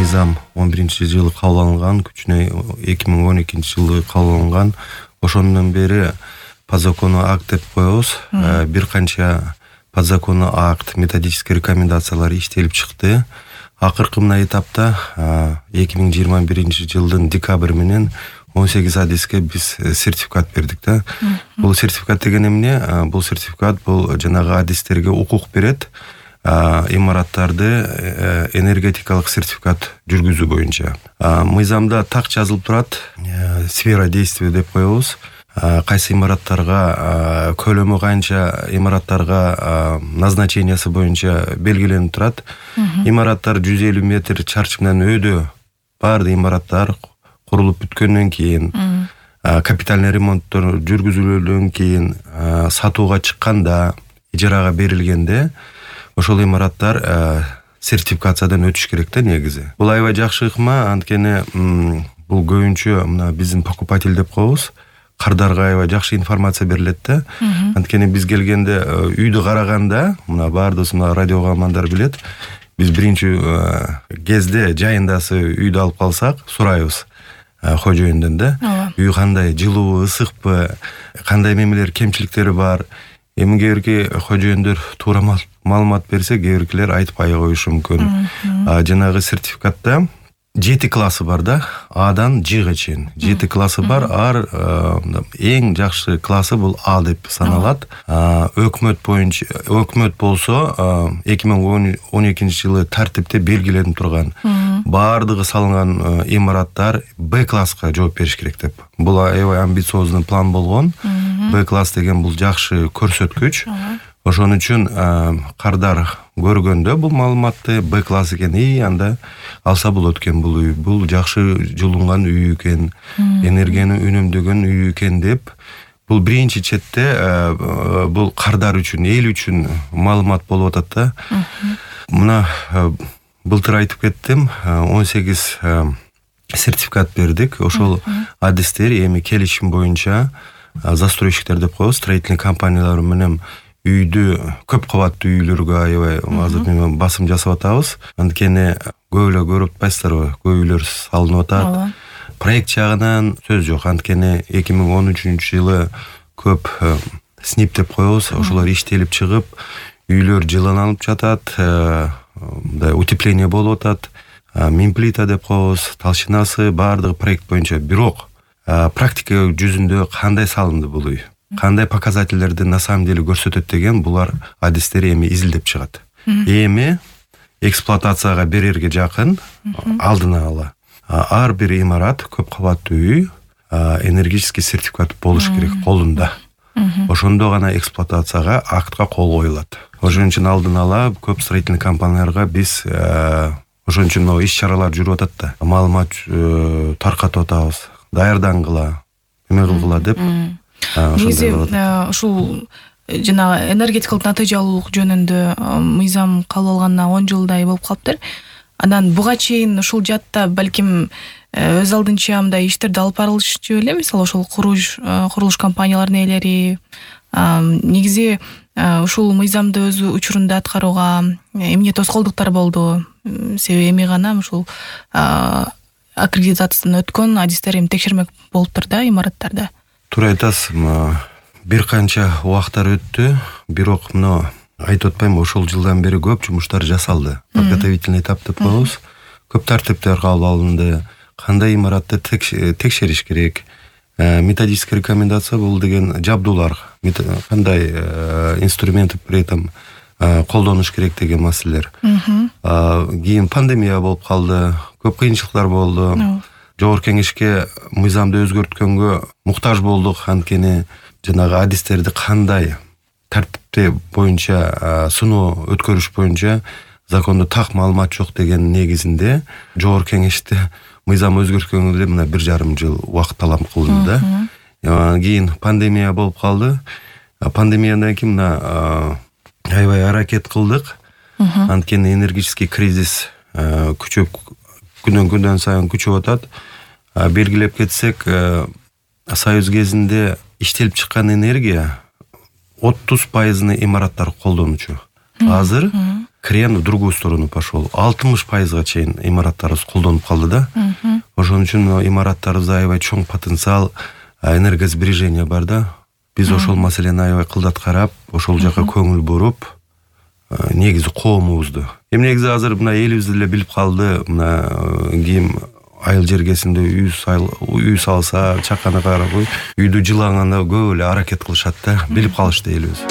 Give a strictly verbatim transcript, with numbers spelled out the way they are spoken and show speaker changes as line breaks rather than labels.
мыйзам он биринчи жылы кабыл алынган, күчүнө эки миң он экинчи жылы кабыл алынган. Ошондон бери подзаконный акт деп коебуз. Бир канча подзаконный акт, методический рекомендациялар иштелип чыкты. Акыркы мына этапта эки миң жыйырма биринчи жылдын декабрь менен он сегиз адиске биз сертификат бердик да. Бул сертификат деген эмне? Бул сертификат бул жанагы адистерге укук берет имараттарды энергетикалык сертификат жүргүзүү боюнча. Мыйзамда так жазылып турат, сфера действия деп коебуз. Кайсы имараттарга, көлөмү канча имараттарга назначениясы боюнча белгиленип турат. Имараттар жүз элүү метр чарчы менен өйдө баардык имараттар курулуп бүткөндөн кийин, капитальный ремонттор жүргүзүлгөндөн кийин, сатууга чыкканда, ижарага берилгенде ошол имараттар сертификациядан өтүш керек да негизи. Бул аябай жакшы ыкма, анткени бул көбүнчө мына биздин покупатель деп коебуз. Кардарга аябай жакшы информация берилет да. Анткени биз келгенде үйдү караганда, мына баардыгыбыз мына радио угармандар билет, биз биринчи кезде жайындасы үйдү алып калсак, сурайбыз кожоюндан да. Үй кандай, жылуу, ысыкпы, кандай мемелер, кемчиликтери бар. Эми кээ бирки кожоюндар туура маалымат берсе, кээ биркилер айтпай коюшу мүмкүн. Жанагы сертификатта жети классы бар да, Адан Жга чейин. жети классы бар, ар эң жакшы классы бул А деп саналат. Өкмөт боюнча, өкмөт болсо эки миң он экинчи жылы тартипте белгиленип турган. Баардыгы салынган имараттар Б класска жооп бериш керек деп. Бул аябай амбициозный план болгон. Б класс деген бул жакшы көрсөткүч. Ошон үчүн кардар көргөндө бул маалыматты Б класс экен, и анда алса болот экен бул үй, бул жакшы жылынган үй экен, энергияны үнөмдөгөн үй экен деп, бул биринчи четте бул кардар үчүн, эл үчүн маалымат болуп атат да. Мына былтыр айтып кеттим, он сегиз сертификат бердик. Ошол адистер эми келишим боюнча застройщиктер деп коебуз, строительный компаниялар менен үйдү, көп кабаттуу үйлөргө аябай азыр мен басым жасап атабыз. Анткени көп эле көрүп атпайсыздарбы, көп үйлөр салынып атат. Проект жагынан сөз жок. Анткени эки миң он үчүнчү жылы көп снип деп коебуз, ошолор иштелип чыгып, үйлөр жыланалып жатат, утепление болуп атат. Минплита деп коебуз, толщинасы баардыгы проект боюнча. Бирок практика жүзүндө кандай салынды бул үй? Кандай показательлерди на самом деле көрсөтөт деген булар адистер эми изилдеп чыгат. Эми эксплуатацияга берерге жакын алдын ала ар бир имарат, көп кабаттуу үй энергетический сертификат болуш керек колунда. Ошондо гана эксплуатацияга актка кол коюлат. Ошон үчүн алдын ала көп строительный компанияларга биз ошон үчүн могу иш-чаралар жүрүп атат да. Маалымат таркатып атабыз, даярдангыла, эме кылгыла деп.
Негизи ушул жана энергетикалык натыйжалуулук жөнүндө мыйзам кабыл алганына он жылдай болуп калыптыр. Анан буга чейин ушул жатта балким өз алдынча мындай иштерди алып барылышчу беле, мисалы ошол курулуш курулуш компанияларынын ээлери негизи ушул мыйзамды өз учурунда аткарууга эмне тоскоолдуктар болду? Себеби эми гана ушул аккредитациядан өткөн адистер эми текшермек болуптур да имараттарда.
Туура айтасыз, бир канча убактар өттү, бирок мына айтып атпаймынбы, ошол жылдан бери көп жумуштар жасалды. Подготовительный этап деп коебуз. Көп тартиптер кабыл алынды. Кандай имаратты текшериш керек? Методический рекомендация бул деген жабдуулар, кандай инструменты при этом колдонуш керек деген маселелер. Кийин пандемия болуп калды, көп кыйынчылыктар болду. Жогорку кеңешке мыйзамды өзгөрткөнгө муктаж болдук, анткени жанагы адистерди кандай тартипте боюнча сыноо өткөрүш боюнча закондо так маалымат жок деген негизинде жогорку кеңеште мыйзам өзгөрткөнгө мына бир жарым жыл убакыт талап кылынды да. Кийин пандемия болуп калды. Пандемиядан кийин мына аябай аракет кылдык. Анткени энергетический кризис күчөп, күндөн күндөн сайын күчөп атат. Белгилеп кетсек, Союз кезинде иштелип чыккан энергия отуз пайызын имараттар колдонучу. Азыр крен в другую сторону пошел. алтымыш пайызга чейин имараттарыбыз колдонуп калды да. Ошон үчүн имараттарыбызда аябай чоң потенциал, энергосбережение бар да. Биз ошол маселени аябай кылдат карап, ошол жака көңүл буруп, негизи коомубузду. Эми негизи азыр мына элибиз деле билип калды, мына ким айыл жергесинде үй сайыл үй салса, чакана карабай, үйдү жылаганда көп эле аракет кылышат да, билип калышты элибиз.